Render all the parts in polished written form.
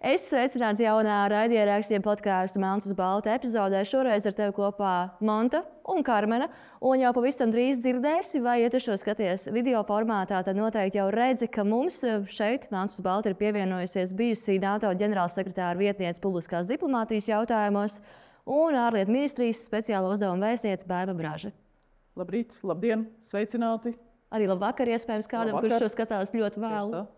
Es sveicināts jaunā raidierakstiem podkāstu Melns uz balta epizodē. Šoreiz ar tevi kopā Monta un Karmena. Un jau pavisam drīz dzirdēsi, vai, ja tu šo skaties video formātā, tad noteikti jau redzi, ka mums šeit Melns uz balta ir pievienojusies bijusī NATO ģenerālsekretāra vietniece publiskās diplomātijas jautājumos un ārlietu ministrijas speciāla uzdevuma vēstniece Baiva Braža. Labrīt, labdien, sveicināti! Arī labvakar, iespējams, kādam, kurš šo skatās ļoti vēlu.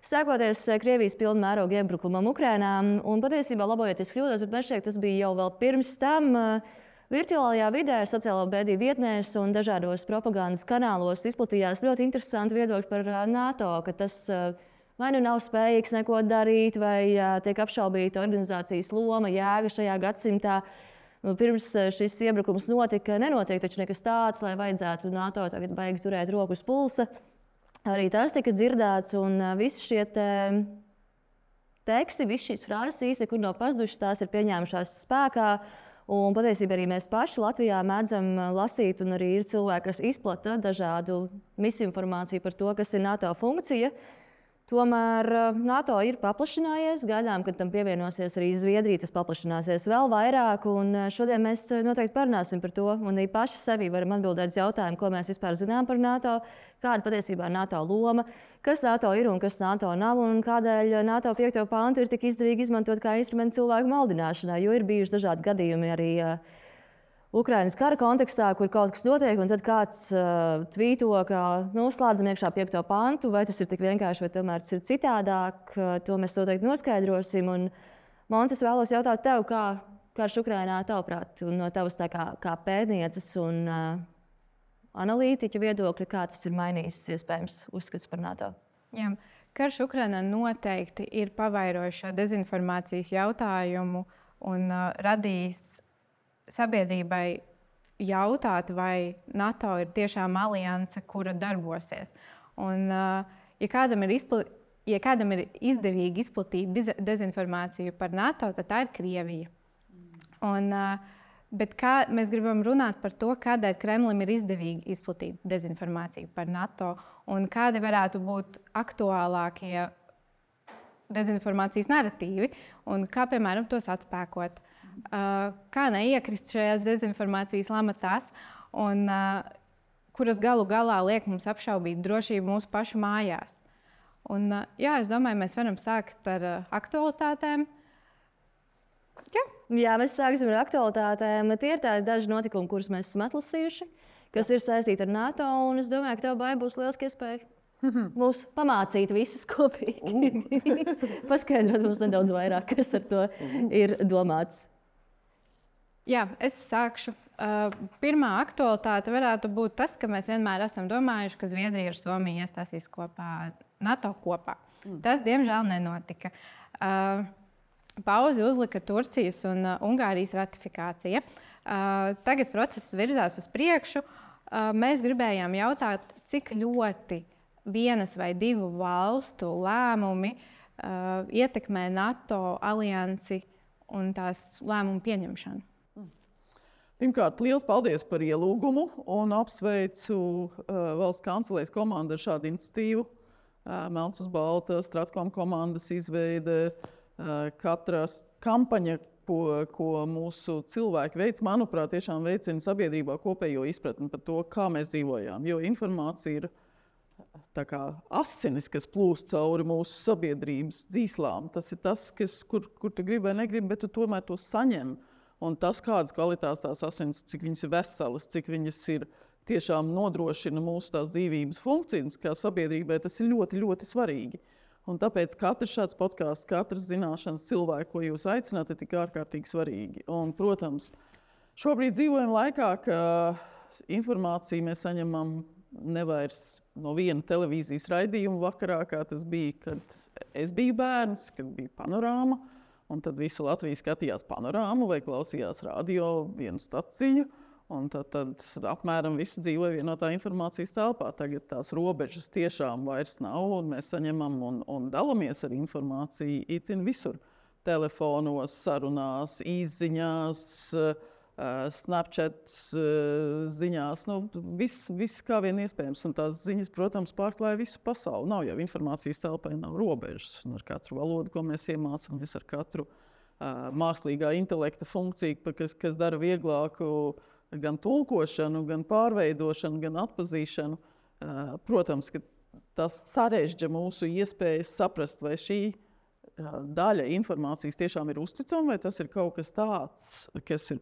Sākoties Krievijas pilna mēroga iebrukumam Ukrainā, un patiesībā labojoties kļūdos, bet man šķiet, tas bija jau vēl pirms tam, virtuālajā vidē, sociālo mediju vietnēs un dažādos propagandas kanālos izplatījās ļoti interesanti viedokļi par NATO, ka tas vai nu nav spējīgs neko darīt, vai tiek apšaubīta organizācijas loma, jēga šajā gadsimtā. Pirms šis iebrukums notika, nenotiek taču nekas tāds, lai vajadzētu NATO tagad baigi turēt roku uz pulsa. Arī tas tika dzirdēts, un visi šie teksti, visas šīs frāzes īsti nekur nav pazudušas, tās ir pieņēmušās spēkā. Un patiesībā arī mēs paši Latvijā mēdzam lasīt, un arī ir cilvēki, kas izplata dažādu misinformāciju par to, kas ir NATO funkcija. Tomēr NATO ir paplašinājies, gaidām, kad tam pievienosies arī Zviedrija, tas paplašināsies vēl vairāk, un šodien mēs noteikti parunāsim par to, un arī paši sevi varam atbildēt uz jautājumu, ko mēs vispār zinām par NATO, kāda patiesībā ir NATO loma, kas NATO ir un kas NATO nav, un kādēļ NATO 5. pantu ir tik izdevīgi izmantot kā instrumentu cilvēku maldināšanai, jo ir bijuši dažādi gadījumi arī Ukrainas kara kontekstā, kur kaut kas notiek, un tad kāds tvīto, ka slēdzam iekšā 5. pantu, vai tas ir tik vienkārši, vai tomēr tas ir citādāk. To mēs noteikti noskaidrosim. Un, Montes, vēlos jautāt tev, kā karš Ukrainā tavuprāt, un no tavas kā pētnieces un analītiķa viedokļa, kā tas ir mainījis iespējams uzskats par NATO? Jā, karš Ukrainā noteikti ir pavairojis šo dezinformācijas jautājumu un radījis sabiedrībai jautāt, vai NATO ir tiešām alianse, kura darbosies. Un, ja kādam ir izdevīgi izplatīt dezinformāciju par NATO, tad tā ir Krievija. Bet mēs gribam runāt par to, kādēļ Kremlim ir izdevīgi izplatīt dezinformāciju par NATO un kādi varētu būt aktuālākie dezinformācijas naratīvi un kā, piemēram, tos atspēkot. Kā neiekrist šajās dezinformācijas lamatās, un kuras galu galā liek mums apšaubīt drošību mūsu pašu mājās. Un, es domāju, mēs varam sākt ar aktualitātēm. Jā, mēs sāksim ar aktualitātēm. Tie ir tādi daži notikumi, kurus mēs esam atlasījuši, kas ir saistīti ar NATO, un es domāju, ka tev Baiba būs lieliski iespēja mūs pamācīt visus kopīgi. Paskaidrot mums nedaudz vairāk, kas ar to ir domāts. Jā, es sākšu. Pirmā aktualitāte varētu būt tas, ka mēs vienmēr esam domājuši, ka Zviedrija ar Somiju iestāsīs NATO kopā. Tas, diemžēl, nenotika. Pauzi uzlika Turcijas un Ungārijas ratifikācija. Tagad process virzās uz priekšu. Mēs gribējām jautāt, cik ļoti vienas vai divu valstu lēmumi ietekmē NATO aliansi un tās lēmumu pieņemšanu. Pirmkārt, liels paldies par ielūgumu un apsveicu valsts kancelējas komandu ar šādu iniciatīvu. Melns uz balta, Stratkom komandas izveide, katra kampaņa, ko mūsu cilvēki veic, manuprāt, tiešām veicina sabiedrībā kopējo izpratni par to, kā mēs dzīvojām. Jo informācija ir tā kā asinis, kas plūst cauri mūsu sabiedrības dzīslām. Tas ir tas, kur tu gribi vai negribi, bet tu tomēr to saņem. Un tas, kādas kvalitātes tās asins, cik viņas ir veselas, cik viņas ir tiešām nodrošina mūsu tās dzīvības funkcijas, kā sabiedrībai, tas ir ļoti, ļoti svarīgi. Un tāpēc katrs šāds podcasts, katrs zināšanas cilvēku, ko jūs aicināt, ir tik ārkārtīgi svarīgi. Un, protams, šobrīd dzīvojam laikā, ka informāciju mēs saņemam nevairs no viena televīzijas raidījuma vakarā, kā tas bija, kad es biju bērns, kad bija panorāma. Un tad visa Latvija skatījās panorāmu vai klausījās radio vienu staciju. Un tad apmēram visi dzīvoja vienotā informācijas telpā. Tagad tās robežas tiešām vairs nav, un mēs saņemam un dalamies ar informāciju itin visur. Telefonos, sarunās, izziņās, Snapchat ziņās, viss kā vien iespējams. Un tās ziņas, protams, pārklāja visu pasauli. Nav jau informācijas telpai, nav robežas. Un ar katru valodu, ko mēs iemācāmies, ar katru mākslīgā intelekta funkciju, kas dara vieglāku gan tulkošanu, gan pārveidošanu, gan atpazīšanu. Protams, ka tas sarežģīja mūsu iespējas saprast, vai šī daļa informācijas tiešām ir uzticama, vai tas ir kaut kas tāds, kas ir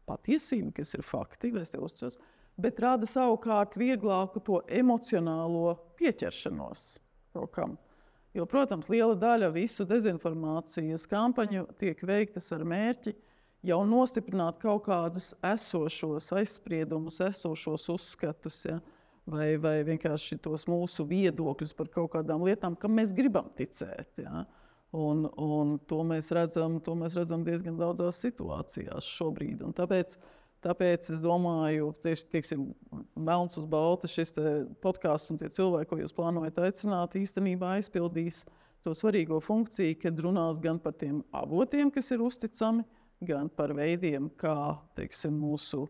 patiesība, kas ir fakti, vai es te uzticos, bet rada savukārt vieglāku to emocionālo pieķeršanos kaut kam. Jo, protams, liela daļa visu dezinformācijas kampaņu tiek veiktas ar mērķi jau nostiprināt kaut kādus esošos aizspriedumus, esošos uzskatus, ja? vai vienkārši tos mūsu viedokļus par kaut kādām lietām, kam mēs gribam ticēt. Ja? Un to mēs redzam diezgan daudzās situācijās šobrīd. Un tāpēc es domāju, teiksim, melns uz balta šis podcasts un tie cilvēki, ko jūs plānojat aicināt, īstenībā aizpildīs to svarīgo funkciju, kad runās gan par tiem avotiem, kas ir uzticami, gan par veidiem, kā, teiksim, mūsu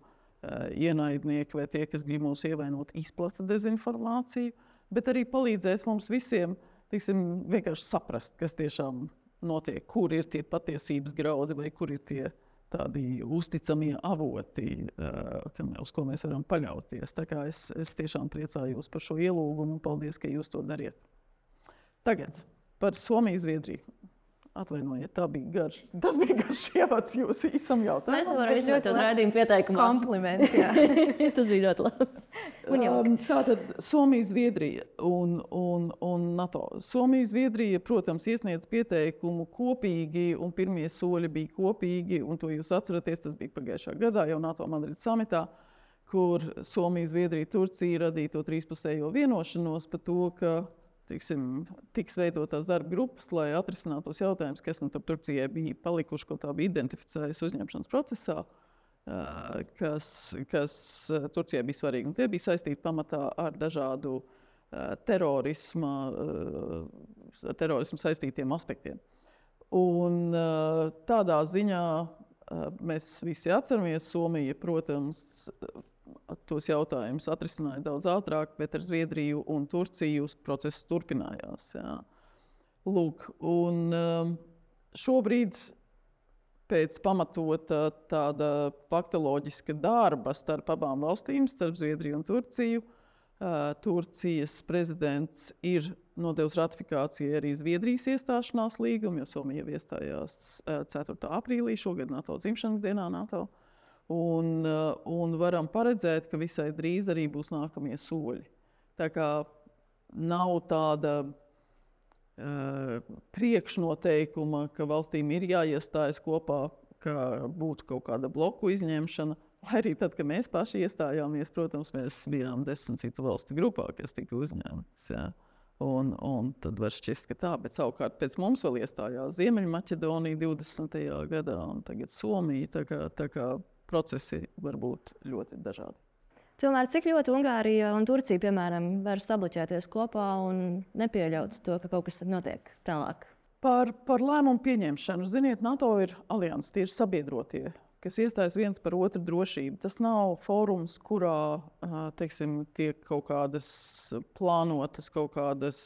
ienaidnieki vai tie, kas grib mūs ievainot, izplata dezinformāciju, bet arī palīdzēs mums visiem, teiksim, vienkārši saprast, kas tiešām notiek, kur ir tie patiesības graudi vai kur ir tie tādi uzticamie avoti, uz ko mēs varam paļauties. Tā kā es tiešām priecājos par šo ielūgumu un paldies, ka jūs to dariet. Tagad par Somiju-Zviedriju. Atvainojiet, tas bija garš ievads jūsu īsam jautājumam. Mēs nevaram izvietot raidījumu pieteikumā. Kompliments, jā. Tas bija ļoti labi. Tātad Somija-Zviedrija un NATO. Somija-Zviedrija, protams, iesniedz pieteikumu kopīgi, un pirmie soļi bija kopīgi, un to jūs atceraties, tas bija pagājušā gadā, jau NATO Madrides samitā, kur Somija-Zviedrija, Turcija radīja to trīspusējo vienošanos par to, ka tiks veidotās darba grupas, lai atrisinātu tos jautājumus, kas Turcijai bija palikuši, ko tā bija identificējusi uzņemšanas procesā, kas Turcijai bija svarīgi. Un tie bija saistīti pamatā ar dažādu terorismu saistītiem aspektiem. Un tādā ziņā mēs visi atceramies, Somija, protams, tos jautājumus atrisināja daudz ātrāk, bet ar Zviedriju un Turciju process turpinājās. Jā. Lūk, un šobrīd pēc pamatota tāda faktoloģiska darba starp abām valstīm, starp Zviedriju un Turciju, Turcijas prezidents ir nodevis ratifikācijai arī Zviedrijas iestāšanās līgumu, jo Somija jau iestājās 4. aprīlī šogad NATO dzimšanas dienā NATO. Un varam paredzēt, ka visai drīz arī būs nākamie soļi. Tā kā nav tāda priekšnoteikuma, ka valstīm ir jāiestājas kopā, ka būtu kaut kāda bloku izņemšana. Lai arī tad, kad mēs paši iestājāmies, protams, mēs bijām 10 citu valstu grupā, kas tika uzņemtas. Ja? Un tad var šķist, ka tā, bet savukārt pēc mums vēl iestājās Ziemeļmaķedonija 20. gadā un tagad Somija. Tā kā procesi var būt ļoti dažādi. Tomēr cik ļoti Ungārija un Turcija, piemēram, var sabloķēties kopā un nepieļaut to, ka kaut kas notiek tālāk? Par lēmumu pieņemšanu. Ziniet, NATO ir alianses, tie ir sabiedrotie, kas iestājas viens par otru drošību. Tas nav fórums, kurā teiksim, tiek kaut kādas plānotas, kaut kādas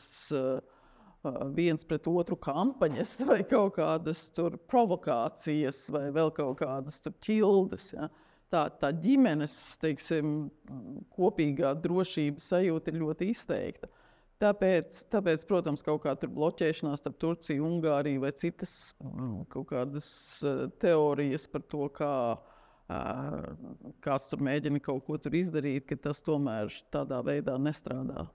viens pret otru kampaņas vai kaut kādas tur provokācijas vai vēl kaut kādas tur ķildes. Ja? Tā ģimenes, teiksim, kopīgā drošības sajūta ir ļoti izteikta. Tāpēc, protams, kaut kā tur bloķēšanās starp Turciju, Ungāriju vai citas kaut kādas teorijas par to, kāds tur mēģina kaut ko tur izdarīt, ka tas tomēr tādā veidā nestrādā.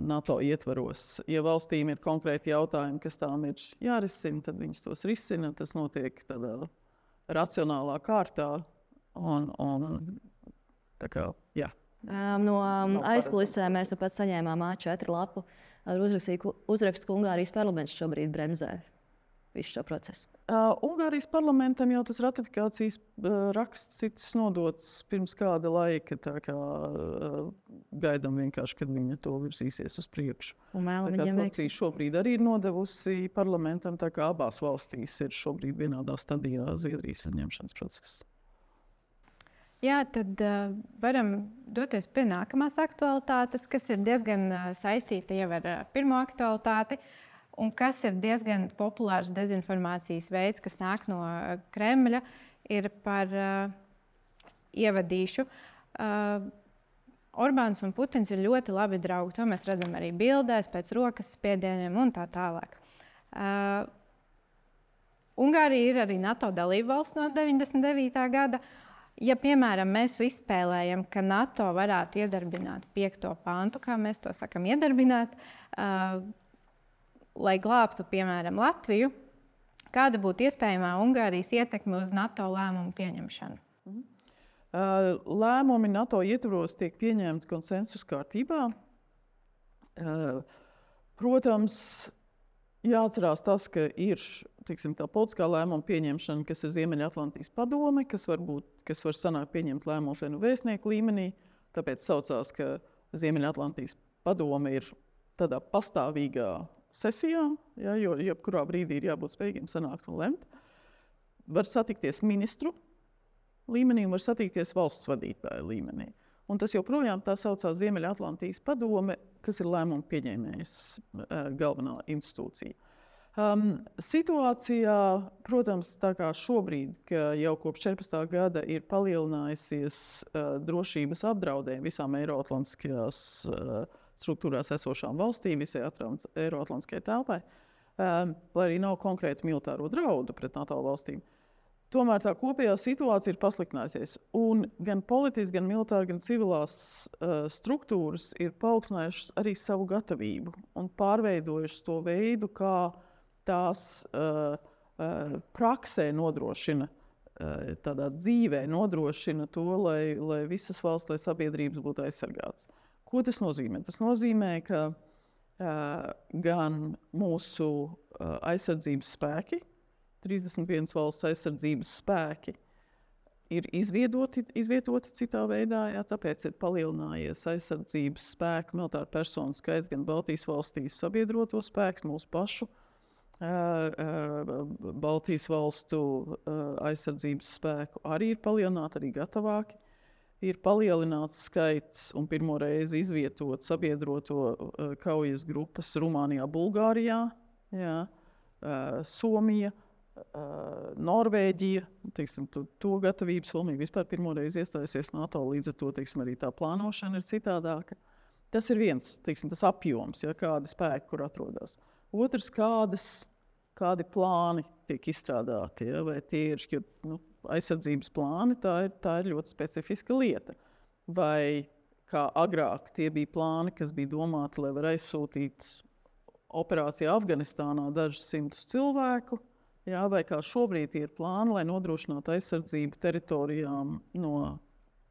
NATO ietvaros. Ja valstīm ir konkrēti jautājumi, kas tām ir jārisina, tad viņas tos risina. Tas notiek tādā racionālā kārtā. Tā kā, jā. No aizkulisēm mēs pat saņēmām A4 lapu ar uzrakstu, ka Ungārijas parlaments šobrīd bremzē visu šo procesu. Ungārijas parlamentam jau tas ratifikācijas raksts ticis nodots pirms kāda laika. Tā kā gaidām vienkārši, kad viņa to virsīsies uz priekšu. Turcija šobrīd arī ir nodevusi parlamentam, tā kā abās valstīs ir šobrīd vienādā stadijā Zviedrijas ņemšanas process. Jā, tad varam doties pie nākamās aktualitātes, kas ir diezgan saistīta jau ar pirmo aktualitāti, un kas ir diezgan populārs dezinformācijas veids, kas nāk no Kremļa, ir par ievadīšu. Orbāns un Putins ir ļoti labi draugi. To mēs redzam arī bildēs, pēc rokas spiedieniem un tā tālāk. Ungārija ir arī NATO dalībvalsts no 99. gada. Ja, piemēram, mēs izspēlējam, ka NATO varētu iedarbināt 5. pantu, kā mēs to sakam, iedarbināt, lai glābtu, piemēram, Latviju, kāda būtu iespējamā Ungārijas ietekme uz NATO lēmumu pieņemšanu? Lēmumi NATO ietvaros tiek pieņemti konsensus kārtībā. Protams, jāatcerās tas, ka ir tā politiskā lēmuma pieņemšana, kas ir Ziemeļatlantijas padome, kas var sanākt pieņemt lēmumus vai nu vēstnieku līmenī. Tāpēc saucās, ka Ziemeļatlantijas padome ir tādā pastāvīgā sesijā, ja, jo jebkurā brīdī ir jābūt spējīgiem sanākt un lemt. Var satikties ministru līmenī un var satikties valsts vadītāju līmenī. Un tas joprojām tā saucās Ziemeļatlantijas padome, kas ir lēmumu pieņēmējas galvenā institūcija. Situācijā, protams, tā kā šobrīd, ka jau kopš 14. gada ir palielinājusies drošības apdraudējumi visām eiroatlantiskajās struktūrās esošām valstīm, visai eiroatlantiskajai telpai, lai arī nav konkrēti militāro draudu pret NATO valstīm. Tomēr tā kopējā situācija ir pasliktinājusies. Un gan politiski, gan militāri, gan civilās struktūras ir paaugstinājušas arī savu gatavību un pārveidojušas to veidu, kā tās praksē nodrošina, tādā dzīvē nodrošina to, lai visas valsts, lai sabiedrības būtu aizsargātas. Ko tas nozīmē? Tas nozīmē, ka gan mūsu aizsardzības spēki, 31 valsts aizsardzības spēki, ir izvietoti citā veidā, jā, tāpēc ir palielinājies aizsardzības spēku militāru personu skaits gan Baltijas valstīs sabiedroto spēks, mūsu pašu Baltijas valstu aizsardzības spēku arī ir palielināti, arī gatavāki. Ir palielināts skaits un pirmo reizi izvietot sabiedroto kaujas grupas Rumānijā, Bulgārijā, jā, Somija, Norvēģija, to gatavību Somija vispār pirmo reizi iestājusies NATO, līdz ar to arī tā plānošana ir citādāka. Tas ir viens, tas apjoms, ja, kādi spēki, kur atrodas. Otrs, kādi plāni tiek izstrādāti, ja, vai tie ir aizsardzības plāni, tā ir ļoti specifiska lieta. Vai kā agrāk tie bija plāni, kas bija domāti, lai var aizsūtīt operācijā Afganistānā dažus simtus cilvēku, jā, vai kā šobrīd ir plāni, lai nodrošinātu aizsardzību teritorijām no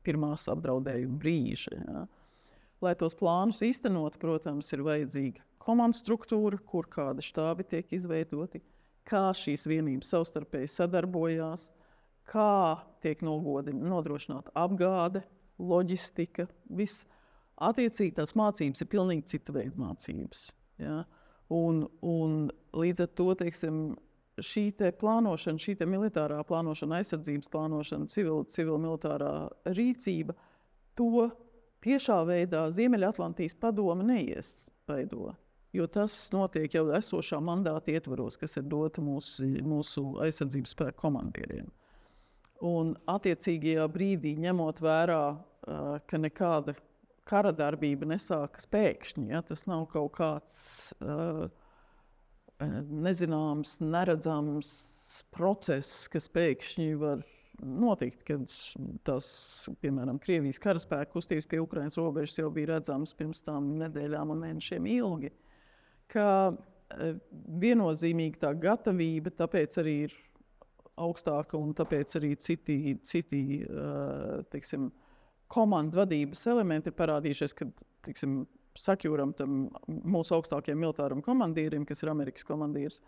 pirmās apdraudējuma brīža. Jā. Lai tos plānus īstenot, protams, ir vajadzīga komandu struktūra, kur kādi štābi tiek izveidoti, kā šīs vienības savstarpēji sadarbojās, kā tiek nodrošināta apgāde, loģistika, viss. Attiecīgi tās mācības ir pilnīgi cita veida mācības. Ja? Un līdz ar to, šī plānošana, šī militārā plānošana, aizsardzības plānošana, civil-militārā rīcība, to tiešā veidā Ziemeļatlantijas padome neiespaido, jo tas notiek jau esošā mandāta ietvaros, kas ir dota mūsu aizsardzības spēku komandieriem. Un attiecīgajā brīdī, ņemot vērā, ka nekāda kara darbība nesākas pēkšņi, ja? Tas nav kaut kāds nezināms, neredzams process, kas pēkšņi var notikt, kad tas, piemēram, Krievijas karaspēku kustības pie Ukrainas robežas jau bija redzams pirms tām nedēļām un mēnešiem ilgi, ka viennozīmīgi tā gatavība tāpēc arī ir augstāka un tāpēc arī citi komandu vadības elementi ir parādījušies, kad sakjūram tam mūsu augstākajiem militāram komandīrim, kas ir Amerikas komandīrs,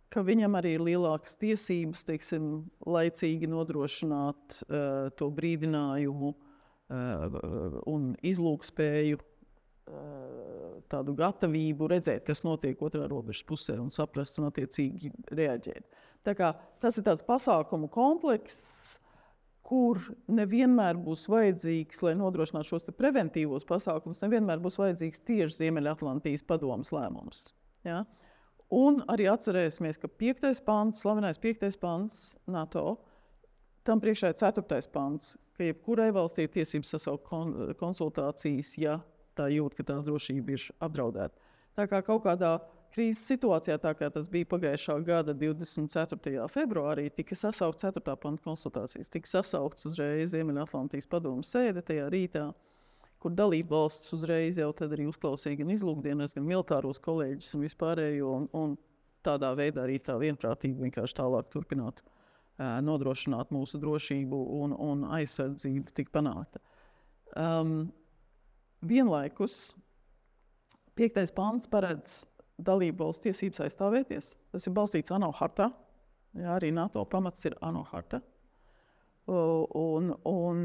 ka viņam arī ir lielākas tiesības, laicīgi nodrošināt to brīdinājumu un izlūkspēju, tādu gatavību redzēt, kas notiek otrā robežas pusē un saprast un attiecīgi reaģēt. Tā kā tas ir tāds pasākumu komplekss, kur nevienmēr būs vajadzīgs, lai nodrošinātu šos preventīvos pasākumus, nevienmēr būs vajadzīgs tieši Ziemeļatlantijas padomes lēmums. Ja? Un arī atcerēsimies, ka 5. pants, slavenais 5. pants NATO, tam priekšā ir 4. pants, ka jebkurai valstī ir tiesības sasaukt konsultācijas, ja tā jūt, ka tās drošība ir apdraudēta. Tā kā kaut kādā krīzes situācijā, tā kā tas bija pagājušā gada 24. februārī, tika sasaukt 4. panta konsultācijas, tika sasaukts uzreiz Ziemeļatlantijas padomes sēde tajā rītā, kur dalība valsts uzreiz jau tad arī uzklausīja gan izlūkdienas, gan militāros kolēģus un vispārējo, un tādā veidā arī tā vienprātība vienkārši tālāk turpināt nodrošināt mūsu drošību un aizsardzību tik panākta. Vienlaikus 5. pants paredz dalību valsts tiesības aizstāvēties. Tas ir balstīts ANO hartā. Jā, arī NATO pamats ir ANO harta. Un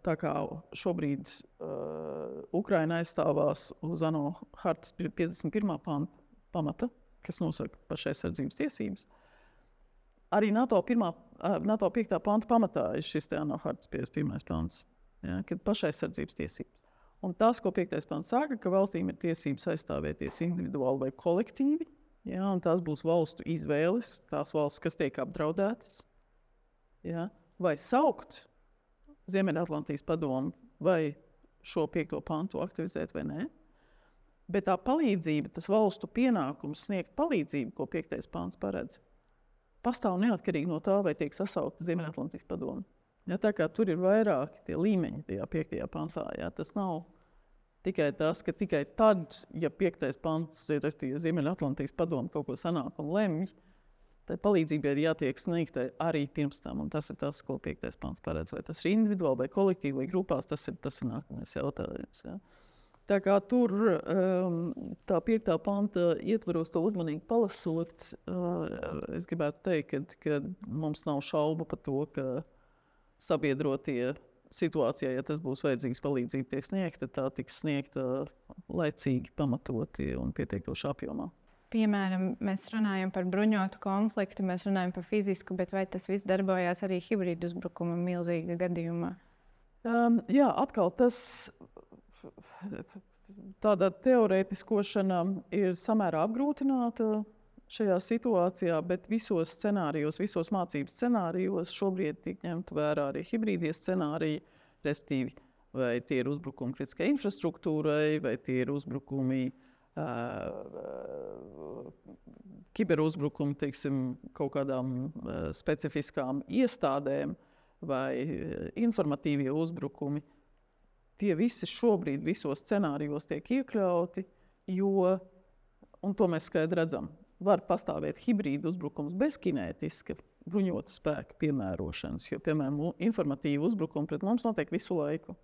tā kā šobrīd Ukraina aizstāvās uz ANO hartas 51. pamata, kas nosaka pašaizsardzības tiesības, arī NATO 5. panta pamatā ir šis ANO hartas 51. pants, ja, kad pašaizsardzības tiesības. Un tas, ko 5. pants saka, ka valstīm ir tiesības aizstāvēties individuāli vai kolektīvi, ja, un tās būs valstu izvēles, tās valsts, kas tiek apdraudētas, ja, vai saukt Ziemeļatlantijas padomu, vai šo 5. pantu aktivizēt vai nē. Bet tā palīdzība, tas valstu pienākums sniegt palīdzību, ko 5. pants paredz, pastāv neatkarīgi no tā, vai tiek sasaukta Ziemeļatlantijas padome. Ja, tā kā tur ir vairāki tie līmeņi tajā 5. pantā, ja, tas nav tikai tas, ka tikai tad, ja 5. pants ir Ziemeļatlantijas padome kaut ko sanāk un lemj, tai palīdzībai ir jātiek sniegtai arī pirms tam, un tas ir tas, ko 5. pants paredz. Vai tas ir individuāli, vai kolektīvi, vai grupās, tas ir nākamais jautājums. Ja. Tā kā tur tā 5. panta ietvaros to uzmanīgi palasot, es gribētu teikt, ka mums nav šaubu par to, ka sabiedrotie situācijā, ja tas būs vajadzīgs palīdzība tiek sniegta, tā tiks sniegta laicīgi, pamatoti un pietiekoši apjomā. Piemēram, mēs runājam par bruņotu konfliktu, mēs runājam par fizisku, bet vai tas viss darbojās arī hibrīdu uzbrukuma milzīga gadījumā? Jā, atkal tas tāda teorētiskošana ir samērā apgrūtināta šajā situācijā, bet visos scenārijos, visos mācības scenārijos šobrīd tiek ņemt vērā arī hibrīdie scenāriji, respektīvi, vai tie ir uzbrukumi kritiskai infrastruktūrai, vai tie ir uzbrukumi kiberuzbrukumi, teiksim, kaut kādām specifiskām iestādēm vai informatīvie uzbrukumi. Tie visi šobrīd visos scenārijos tiek iekļauti, jo, un to mēs skaidri redzam, var pastāvēt hibrīdu uzbrukums bez kinētiska bruņota spēka piemērošanas, jo, piemēram, informatīvi uzbrukumi pret mums notiek visu laiku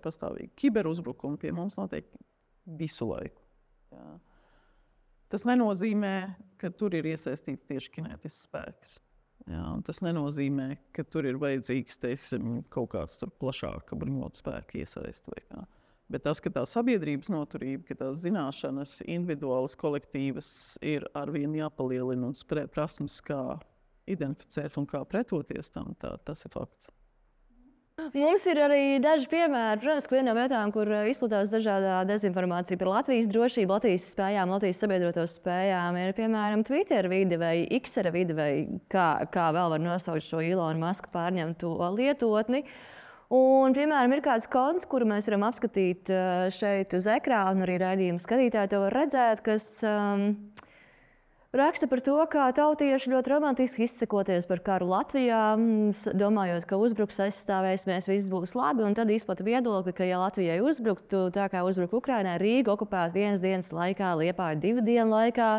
pastāvīgi. Kiberuzbrukumi pie mums notiek visu laiku. Jā. Tas nenozīmē, ka tur ir iesaistīts tieši kinētisks spēks. Jā, un tas nenozīmē, ka tur ir vajadzīgs, teiksim, kaut kāds plašāka bruņota spēka iesaiste. Bet tas, ka tā sabiedrības noturība, ka tās zināšanas, individuālas, kolektīvas ir arvien jāpalielina un prasmes, kā identificēt un kā pretoties tam, tas ir fakts. Mums ir arī daži piemēri. Protams, ka viena no vietām, kur izplatās dažādā dezinformācija par Latvijas drošību, Latvijas spējām, Latvijas sabiedroto spējām, ir piemēram Twitter vide vai X vide, vai kā vēl var nosaukt šo Ilona Maska pārņemto lietotni. Un, piemēram, ir kāds konts, kuru mēs varam apskatīt šeit uz ekrāna, arī raidījuma skatītāji to var redzēt, kas raksta par to, kā tautieši ļoti romantiski izsakoties par karu Latvijā, domājot, ka uzbruks aizstāvēsimies, viss būs labi, un tad izplata viedokli, ka ja Latvijai uzbruktu, tā kā uzbruka Ukrainai, Rīga okupēta 1 dienas laikā, Liepāja 2 dienu laikā.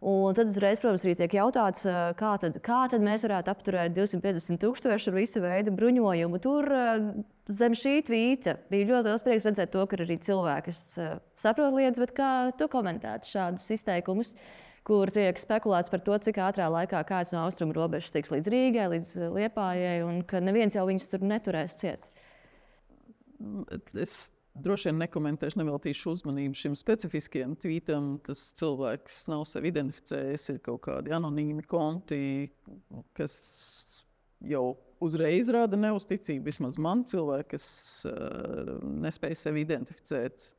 Un tad uzreiz, protams, arī tiek jautāts, kā tad mēs varētu apturēt 250,000 ar visu veidu bruņojumu. Tur zem šī tvīta bija ļoti liels prieks redzēt to, ka arī cilvēki saprot lietas, bet kā tu komentētu šādus izteikumus, kur tiek spekulēts par to, cik ātrā laikā kāds no austrumu robežas tiks līdz Rīgai, līdz Liepājai, un ka neviens jau viņus tur neturēs ciet. Es droši vien nekomentēšu, neveltīšu uzmanību šim specifiskajam tvītam. Tas cilvēks nav sevi identificējis, ir kaut kādi anonīmi konti, kas jau uzreiz rada neusticību. Vismaz man cilvēki, kas nespēja sevi identificēt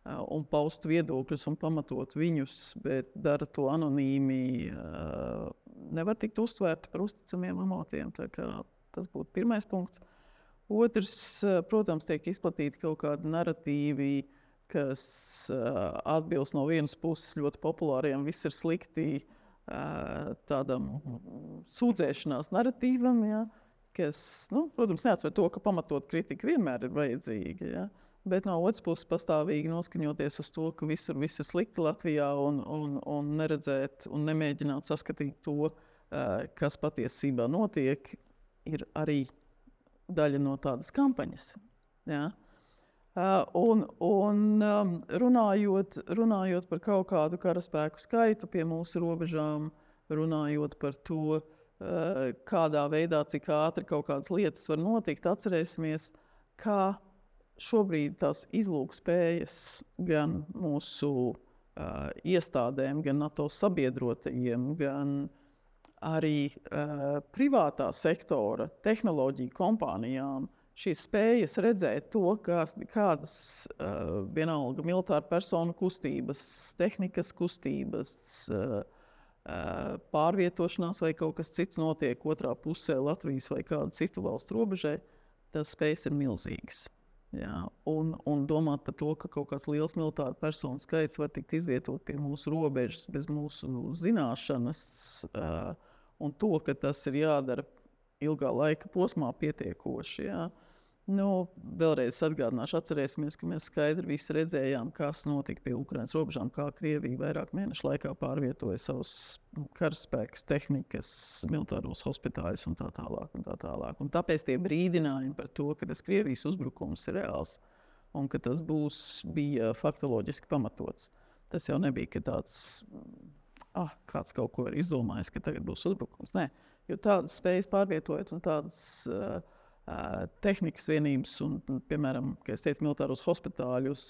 un paust viedokļus un pamatot viņus, bet dara to anonīmi, nevar tikt uztvērti par uzticamiem avotiem. Tas būtu pirmais punkts. Otrs, protams, tiek izplatīti kaut kādi narratīvi, kas atbilst no vienas puses ļoti populāriem, viss ir slikti, tādam sūdzēšanās narratīvam, ja, kas, protams, neatsver to, ka pamatot kritika vienmēr ir vajadzīga. Ja. Bet no otras puses pastāvīgi noskaņoties uz to, ka viss ir slikti Latvijā un neredzēt un nemēģināt saskatīt to, kas patiesībā notiek, ir arī daļa no tādas kampaņas. Ja? Runājot par kaut kādu karaspēku skaitu pie mūsu robežām, runājot par to, kādā veidā, cik ātri kaut kādas lietas var notikt, atcerēsimies, kā šobrīd tās izlūkspējas gan mūsu iestādēm, gan NATO sabiedrotajiem, gan arī privātā sektora tehnoloģiju kompānijām šīs spējas redzēt to, kādas vienalga militāra personu kustības, tehnikas kustības, pārvietošanās vai kaut kas cits notiek otrā pusē Latvijas vai kādu citu valstu robežai, tas spējas ir milzīgas. Jā, un domāt par to, ka kaut kāds liels militāru personu skaits var tikt izvietot pie mūsu robežas bez mūsu zināšanas, un to, ka tas ir jādara ilgā laika posmā pietiekoši. Jā. Vēlreiz atgādināšu, atcerēsimies, ka mēs skaidri visi redzējām, kas notika pie Ukrainas robežām, kā Krievija vairāk mēnešu laikā pārvietoja savus karaspēkus, tehnikas, militāros hospitājus un tā tālāk. Un tāpēc tie brīdinājumi par to, ka tas Krievijas uzbrukums ir reāls un ka tas bija faktoloģiski pamatots. Tas jau nebija, ka tāds, kāds kaut ko ir izdomājis, ka tagad būs uzbrukums. Nē, jo tādas spējas pārvietojot un tādas tehnikas vienības un, piemēram, kā es teicu, militāros hospitāļus,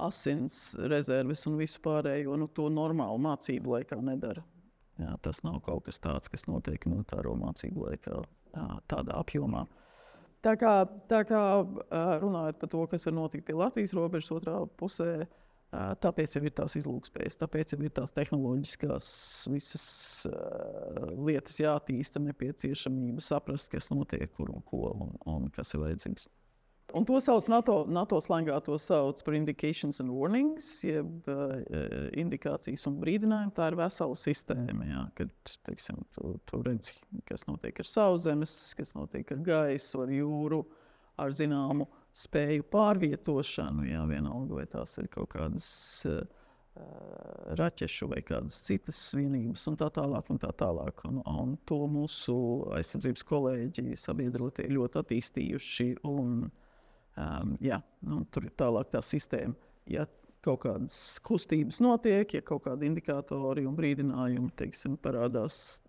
asins rezerves un visu pārējo, to normālu mācību laikā nedara. Jā, tas nav kaut kas tāds, kas notiek militāro mācību laikā tādā apjomā. Tā kā runājot par to, kas var notikt pie Latvijas robežas otrā pusē, tāpēc jau ir tās izlūkspējas, tāpēc jau ir tās tehnoloģiskās visas lietas jātīsta, nepieciešamība saprast, kas notiek, kur un ko un kas ir vajadzīgs. Un to sauc NATO slangā, to sauc par indications and warnings, jeb indikācijas un brīdinājumi. Tā ir vesela sistēma, jā, kad, teiksim, tu redzi, kas notiek ar sauszemes, kas notiek ar gaisu, ar jūru, ar zināmu spēju pārvietošanu, jā, vienalga, vai tās ir kaut kādas raķešu vai kādas citas vienības un tā tālāk. Un to mūsu aizsardzības kolēģi sabiedrotie ļoti attīstījuši un tur ir tālāk tā sistēma. Ja kaut kādas kustības notiek, ja kaut kādi indikātori un brīdinājumi, teiksim, parādās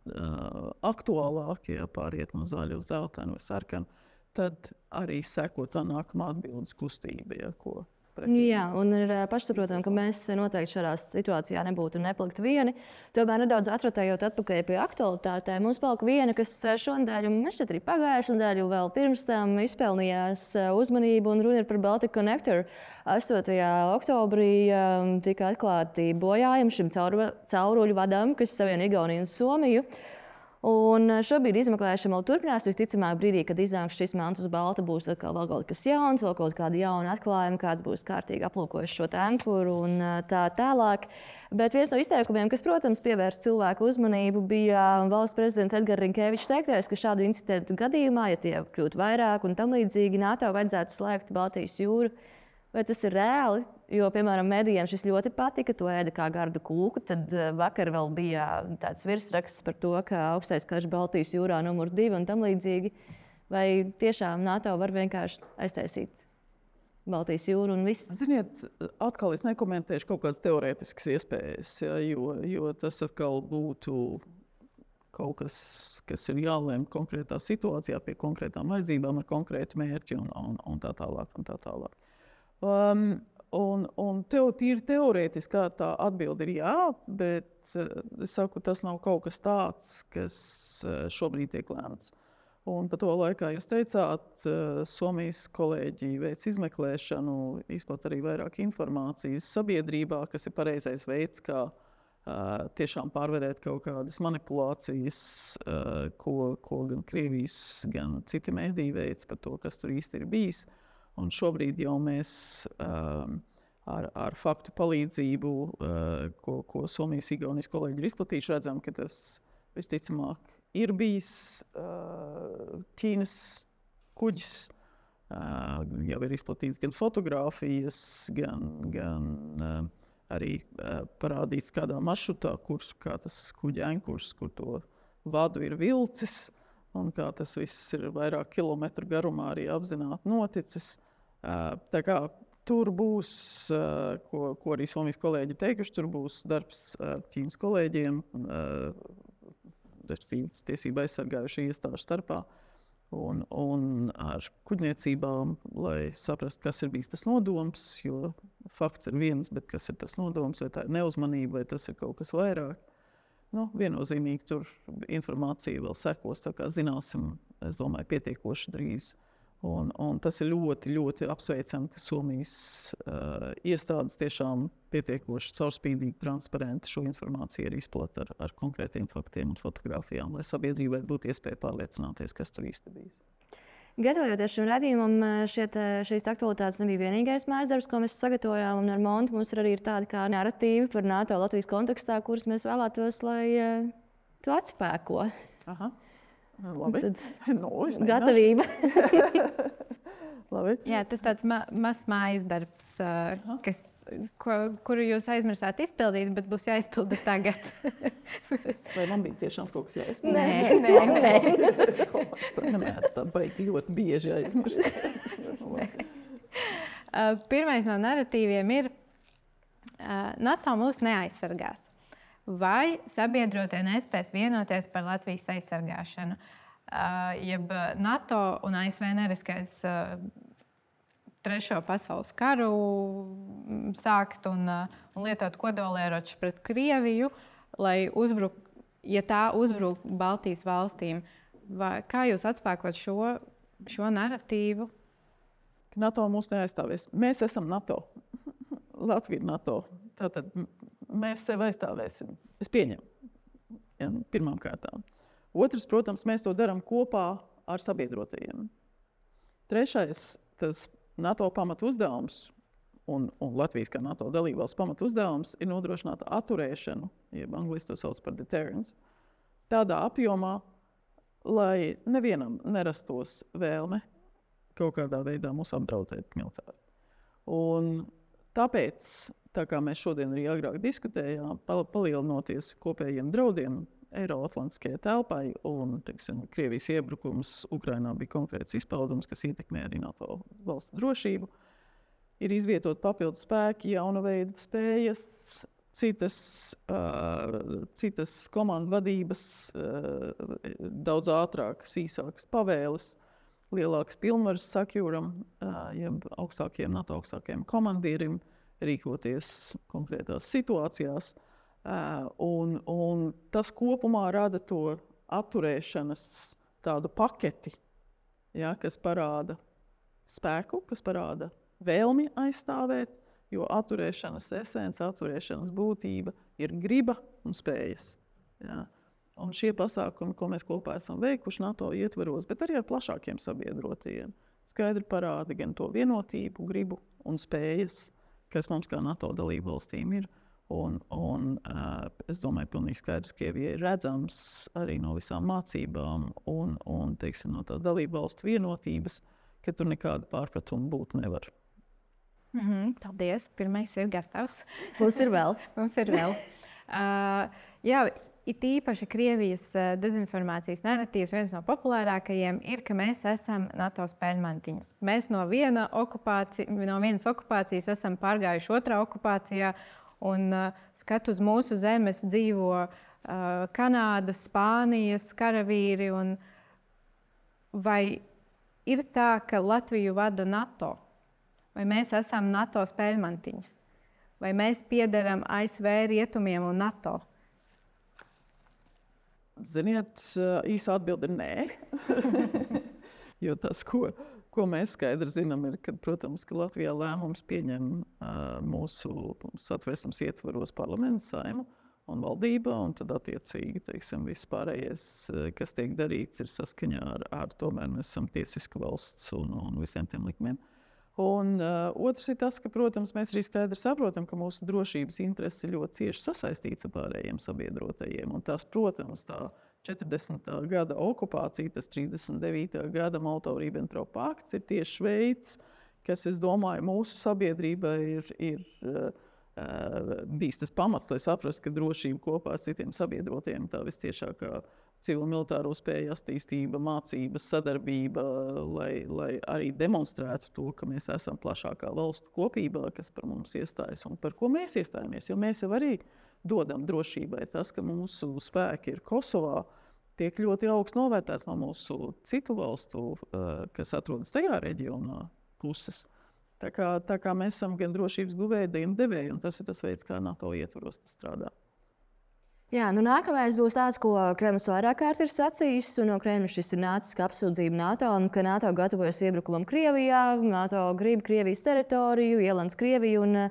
aktuālāk, ja pāriet no zaļa uz zeltainu vai sarkanu, tad arī seko tā nākamā atbildes kustība, ja, ko pretī. Jā, un ir pašsaprotami, ka mēs noteikti šādā situācijā nebūtu neplikti vieni. Tomēr nedaudz atratējot atpakaļ pie aktualitātēm, mums palika viena, kas šonadēļ, un man šķiet arī pagājušajā nedēļā, vēl pirms tam izpelnījās uzmanību, un runa ir par Baltic Connector. 8. oktobrī tika atklāti bojājumi šim cauruļu vadam, kas savieno Igauniju un Somiju. Un šobrīd izmeklēšana vēl turpinās. Visticamāk, brīdī, kad iznāks šis melns uz balta, būs atkal vēl kaut kas jauns, vēl kaut kāda jauna atklājuma, kāds būs kārtīgi aplūkojis šo ankuru un tā tālāk. Bet viens no izteikumiem, kas, protams, pievērst cilvēku uzmanību, bija valsts prezidenta Edgara Rinkēviča teiktais, ka šādu incidentu gadījumā, ja tie kļūtu vairāk un tam līdzīgi, NATO vajadzētu slēgt Baltijas jūru. Vai tas ir reāli? Jo, piemēram, medijiem šis ļoti patika, to ēda kā gardu kūku. Tad vakar vēl bija tāds virsraksts par to, ka augstais karš Baltijas jūrā numur 2 un tam līdzīgi. Vai tiešām NATO var vienkārši aiztaisīt Baltijas jūru un viss? Ziniet, atkal es nekomentēšu kaut kādas teorētiskas iespējas, ja, jo tas atkal būtu kaut kas, kas ir jālēm konkrētā situācijā pie konkrētām vajadzībām ar konkrētu mērķi un tā tālāk. Un tīri teorētiski tā atbilde ir jā, bet es saku, tas nav kaut kas tāds, kas šobrīd tiek lēmts. Un pa to laikā jūs teicāt, Somijas kolēģi veic izmeklēšanu, izplat arī vairāk informācijas sabiedrībā, kas ir pareizais veids, kā tiešām pārvarēt kaut kādas manipulācijas, ko gan Krievijas, gan citi mēdīji veic par to, kas tur īsti ir bijis. Un šobrīd jau mēs ar faktu palīdzību, ko Somijas Igaunijas kolēģi ir izplatījuši, redzam, ka tas visticamāk ir bijis Ķīnas kuģis. Jau ir izplatīts gan fotogrāfijas, gan arī parādīts kādā maršrutā, kā tas kuģa ankurs, kur to vadu ir vilcis, un kā tas viss ir vairāk kilometru garumā arī apzināti noticis. Tā kā tur būs, ko arī Somijas kolēģi teikuši, tur būs darbs ar Ķīnas kolēģiem, tiesību aizsargājuši iestāžu starpā un ar kuģniecībām, lai saprastu, kas ir bijis tas nodoms, jo fakts ir viens, bet kas ir tas nodoms, vai tā ir neuzmanība, vai tas ir kaut kas vairāk. Viennozīmīgi tur informācija vēl sekos, tā kā zināsim, es domāju, pietiekoši drīz. Un tas ir ļoti, ļoti apsveicami, ka Somijas iestādes tiešām pietiekoši caurspīdīgi, transparenti šo informāciju arī izplata ar konkrētiem faktiem un fotogrāfijām, lai sabiedrībai būtu iespēja pārliecināties, kas tur īsti bijis. Gatavojoties šim redzījumam, šīs aktualitātes nebija vienīgais mājasdarbs, ko mēs sagatavojām. Un ar Montu mums arī ir tādi kā narratīvi par NATO Latvijas kontekstā, kurus mēs vēlētos, lai tu atspēko. Aha. Labi. Gatavība. Labi. Jā, tas tāds mazs mājas darbs, kuru jūs aizmirsāt izpildīt, bet būs jāizpilda tagad. Vai man bija tiešām kaut kas jāizpilda? Nē. Es domāju, ka nemēdz tādu baigi ļoti bieži aizmirst. Pirmais no narratīviem ir NATO mūs neaizsargās. Vai sabiedrotie nespēs vienoties par Latvijas aizsargāšanu? Jeb NATO un ASV neriskēs Trešo pasaules karu sākt un lietot kodolieročus pret Krieviju, lai ja tā uzbruk Baltijas valstīm. Kā jūs atspēkot šo narratīvu? NATO mūs neaizstāvēs. Mēs esam NATO. Latvija ir NATO. Tātad mēs sevi aizstāvēsim. Es pieņemu. Ja, pirmām kārtām. Otrs, protams, mēs to darām kopā ar sabiedrotajiem. Trešais, tas NATO pamatu uzdevums un Latvijas kā NATO dalībvalsts pamatu uzdevums ir nodrošināt atturēšanu, jeb angliski to sauc par deterrence, tādā apjomā, lai nevienam nerastos vēlme kaut kādā veidā mūs apdraudēt militāri. Un tāpēc, tā kā mēs šodien arī agrāk diskutējām, palielinoties kopējiem draudiem Eiroatlantiskajai telpai un, teiksim, Krievijas iebrukums Ukrainā bija konkrēts izpaudums, kas ietekmē arī NATO valstu drošību, ir izvietot papildus spēki, jauna veida spējas, citas komandu vadības, daudz ātrākas, īsākas pavēles, lielākas pilnvaras sakjūram, jeb NATO augstākajiem komandierim, rīkoties konkrētās situācijās. Un tas kopumā rada to atturēšanas tādu paketi, ja, kas parāda spēku, kas parāda vēlmi aizstāvēt, jo atturēšanas esence, atturēšanas būtība ir griba un spējas. Ja. Un šie pasākumi, ko mēs kopā esam veikuši NATO ietvaros, bet arī ar plašākiem sabiedrotajiem, skaidri parāda gan to vienotību, gribu un spējas, kas mums kā NATO dalību valstīm ir. Un es domāju, pilnīgi skaidrs, ka Krievijai ir redzams arī no visām mācībām un teiksim, no tā dalību valstu vienotības, ka tur nekāda pārpratuma būt nevar. Paldies. Pirmais ir gatavs. Mums ir vēl. Jā, it īpaši Krievijas dezinformācijas narratīvs, viens no populārākajiem ir, ka mēs esam NATO spēļmantiņas. Mēs no vienas okupācijas esam pārgājuši otrā okupācijā, un skat uz mūsu zemes dzīvo Kanādas, Spānijas karavīri. Vai ir tā, ka Latviju vada NATO? Vai mēs esam NATO spēļmantiņas? Vai mēs piederam ASV, Rietumiem un NATO? Ziniet, īsa atbilde ir nē. Jo tas, ko mēs skaidri zinām, ir, ka, protams, ka Latvijā lēmums pieņem mūsu Satversmes ietvaros parlaments, Saeima un valdība, un tad attiecīgi, teiksim, viss pārējais, kas tiek darīts, ir saskaņā ar tomēr mēs esam tiesiska valsts un visiem tiem likumiem. Un otrs ir tas, ka, protams, mēs arī skaidri saprotam, ka mūsu drošības intereses ir ļoti cieši sasaistīts ar pārējiem sabiedrotajiem. Un tas, protams, tā 40. gada okupācija, tas 39. gada Molotovu-Ribbentropa pakts ir tieši veids, kas, es domāju, mūsu sabiedrībai ir bijis tas pamats, lai saprastu, ka drošība kopā ar citiem sabiedrotiem tā visciešākā civil-militāro spēju attīstība, mācības, sadarbība, lai arī demonstrētu to, ka mēs esam plašākā valstu kopībā, kas par mums iestājas un par ko mēs iestājamies. Jo mēs jau arī dodam drošībai. Tas, ka mūsu spēki ir Kosovā, tiek ļoti augsts novērtēts no mūsu citu valstu, kas atrodas tajā reģionā puses. Tā kā mēs esam gan drošības guvēji, gan devēji, un tas ir tas veids, kā NATO ietvaros tas strādā. Jā, nākamais būs tāds, ko Kremlis vairāk kārt ir sacījis, un no Kremļa šis ir nācis kā apsūdzība NATO, un ka NATO gatavojas iebrukumam Krievijā, NATO grib Krievijas teritoriju, ielens Krieviju, un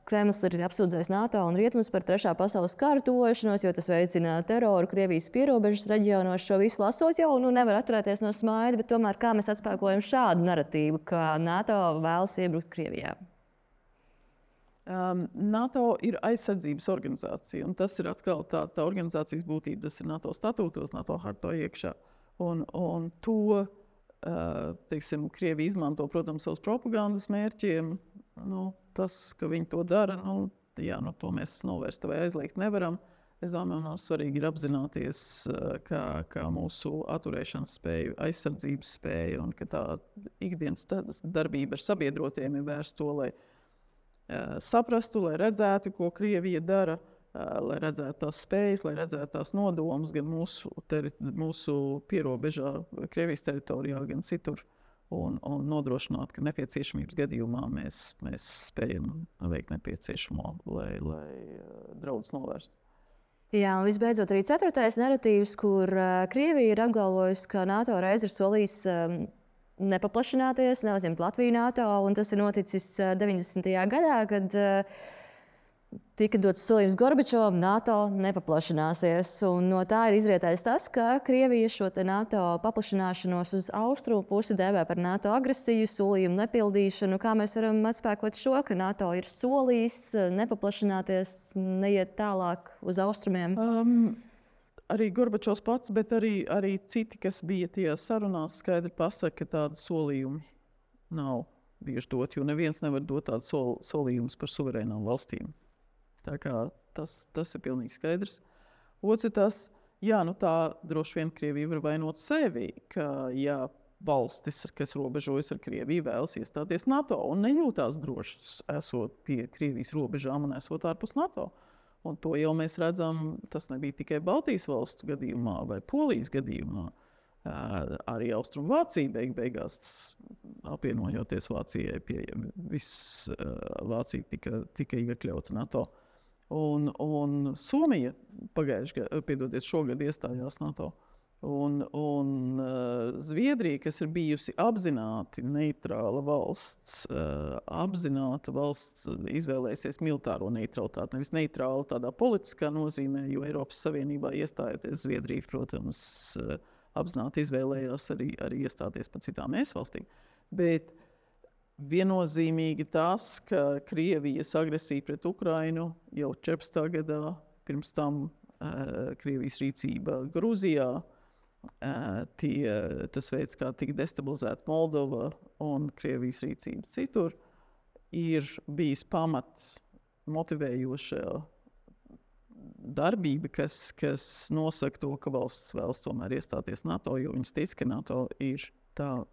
Kremlis ir apsūdzējis NATO un rietumus par trešā pasaules kara tuvošanos, jo tas veicina teroru Krievijas pierobežas reģionos. Šo visu lasot jau nevar atturēties no smaida, bet tomēr kā mēs atspēkojam šādu naratīvu, ka NATO vēlas iebrukt Krievijā? NATO ir aizsardzības organizācija, un tas ir atkal tā organizācijas būtība. Tas ir NATO statūtos, NATO hartā iekšā. Un to, teiksim, Krievija izmanto, protams, savus propagandas mērķiem. Tas, ka viņi to dara, to mēs novērst vai aizliegt nevaram. Es domāju, mums svarīgi ir apzināties, kā mūsu atturēšanas spēja, aizsardzības spēja, un ka tā ikdienas darbība ar sabiedrotiem ir vērsta to, lai saprastu, lai redzētu, ko Krievija dara, lai redzētu tās spējas, lai redzētu tās nodomus gan mūsu pierobežā, Krievijas teritorijā, gan citur, un nodrošināt, ka nepieciešamības gadījumā mēs spējam veikt nepieciešamo, lai draudus novērstu. Jā, un visbeidzot arī ceturtais naratīvs, kur Krievija ir apgalvojusi, ka NATO reiz ir solījis nepaplašināties, neuzņemt Latviju NATO, un tas ir noticis 90. gadā, kad tika dots solījums Gorbačovam, NATO nepaplašināsies. Un no tā ir izrietējis tas, ka Krievija šo NATO paplašināšanos uz austrumu pusi dēvē par NATO agresiju, solījumu nepildīšanu. Kā mēs varam atspēkot šo, ka NATO ir solījis nepaplašināties, neiet tālāk uz austrumiem? Arī Gorbačovs pats, bet arī citi, kas bija tajā sarunās, skaidri pasaka, ka tādi solījumi nav bijuši doti, jo neviens nevar dot tādu solījumus par suverēnām valstīm. Tā kā tas ir pilnīgi skaidrs. Otrs ir tas, tā droši vien Krievija var vainot sevi, ka valstis, kas robežojas ar Krieviju, vēlas iestāties NATO un nejūtās drošas esot pie Krievijas robežām un esot ārpus NATO. Un to jau mēs redzam, tas nebija tikai Baltijas valstu gadījumā vai Polijas gadījumā. Arī Austrumvācija beigās apvienojoties Vācijai, viss Vācija tika iekļauta NATO. Un Somija šogad iestājās NATO. Un Zviedrija, kas ir bijusi apzināti neitrāla valsts, izvēlēsies militāro neutralitāti. Nevis neitrāla tādā politiskā nozīmē, jo Eiropas Savienībā iestājoties Zviedrija, protams, apzināti izvēlējās arī iestāties par citām valstīm. Bet viennozīmīgi tas, ka Krievijas agresija pret Ukrainu jau 14. gadā, pirms tam Krievijas rīcība Grūzijā, tas veids, kā tika destabilizēta Moldova un Krievijas rīcība citur, ir bijis pamats motivējoša darbība, kas nosaka to, ka valsts vēlas tomēr iestāties NATO, jo viņas tic, ka NATO ir tā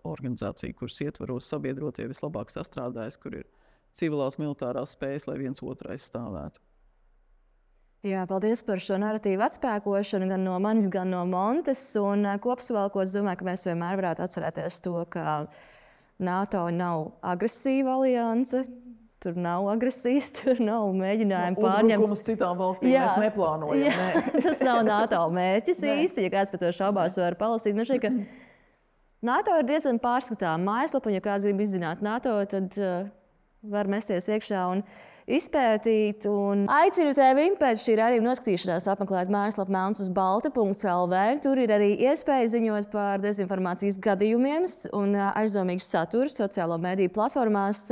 organizācija, kuras ietvaros sabiedrotie vislabāk sastrādājas, kur ir civilās militārās spējas, lai viens otru aizstāvētu. Jā, paldies par šo naratīvu atspēkošanu gan no manis, gan no Montes. Un kopsavilkot, es domāju, ka mēs vienmēr varētu atcerēties to, ka NATO nav agresīva alianse. Tur nav agresijas, tur nav mēģinājumu pārņemt. Uzbrukumus citām valstīm mēs neplānojam. Jā, tas nav NATO mērķis īsti. Ja kāds par to šaubās, var palasīt. Man šķiet, ka NATO ir diezgan pārskatāma mājaslapa, un ja kāds grib izzināt NATO, tad var mesties iekšā un izpētīt. Un aicinu tevi pēc šī raidījuma noskatīšanās apmeklēt mājaslapu melnsuzbalta.lv. Tur ir arī iespēja ziņot par dezinformācijas gadījumiem un aizdomīgu saturu sociālo mediju platformās.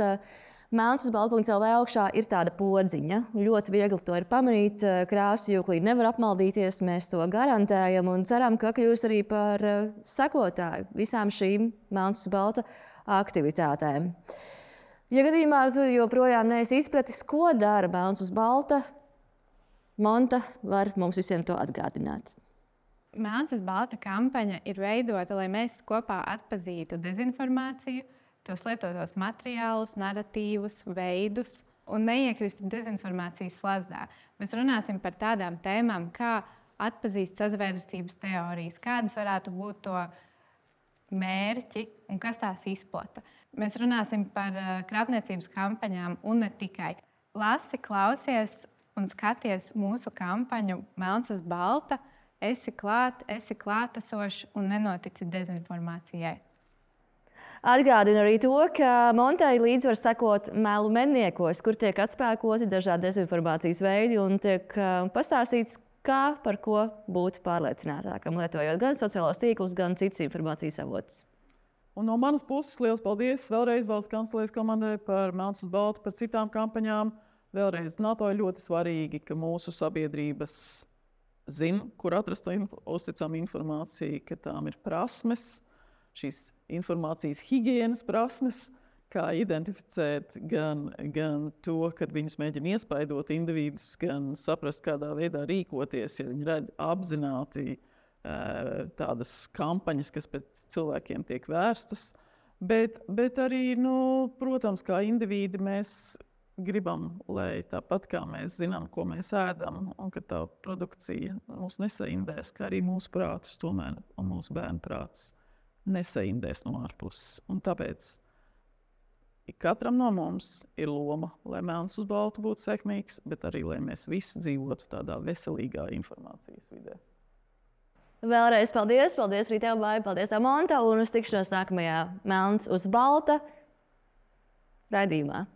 Melnsuzbalta.lv augšā ir tāda podziņa. Ļoti viegli to ir pamanīt. Krāsu jūklī nevar apmaldīties, mēs to garantējam un ceram, ka kļūs arī par sekotāju visām šīm Melnsuzbalta aktivitātēm. Ja gadījumā tu joprojām neesi izpratis, ko dara Melnsuzbalta, Monta var mums visiem to atgādināt. Melnsuzbalta kampaņa ir veidota, lai mēs kopā atpazītu dezinformāciju, tos lietotos materiālus, narratīvus, veidus un neiekristu dezinformācijas slazdā. Mēs runāsim par tādām tēmām, kā atpazīt sazvērestības teorijas, kādas varētu būt to mērķi un kas tās izplata. Mēs runāsim par krāpniecības kampaņām un ne tikai. Lasi, klausies un skaties mūsu kampaņu Melns uz balta, esi klāt, esi klātesošs un nenotici dezinformācijai. Atgādinu arī to, ka Montai līdz var sekot melu medniekos, kur tiek atspēkoti dažādi dezinformācijas veidi un tiek pastāstīts, kā par ko būt pārliecinātākam, lietojot gan sociālos tīklus, gan citas informācijas avotus. Un no manas puses liels paldies vēlreiz Valsts kancelējas komandai par Melns uz balta, par citām kampaņām. Vēlreiz NATO ir ļoti svarīgi, ka mūsu sabiedrības zina, kur atrast uzticamu informāciju, ka tām ir prasmes, šīs informācijas higienas prasmes, kā identificēt gan to, kad viņus mēģina iespaidot individus, gan saprast, kādā veidā rīkoties, ja viņi redz apzināti tādas kampaņas, kas pēc cilvēkiem tiek vērstas. Bet arī, protams, kā individi mēs gribam, lai tāpat kā mēs zinām, ko mēs ēdam, un ka tā produkcija mūs nesaindēs, kā arī mūsu prātus tomēr un mūsu bērnu prātus nesaindēs no ārpuses. Un tāpēc katram no mums ir loma, lai Melns uz balta būtu sekmīgs, bet arī, lai mēs visi dzīvotu tādā veselīgā informācijas vidē. Vēlreiz paldies! Paldies arī tev, Baiba! Paldies tev, Monta! Un uz tikšanos nākamajā Melns uz balta raidījumā.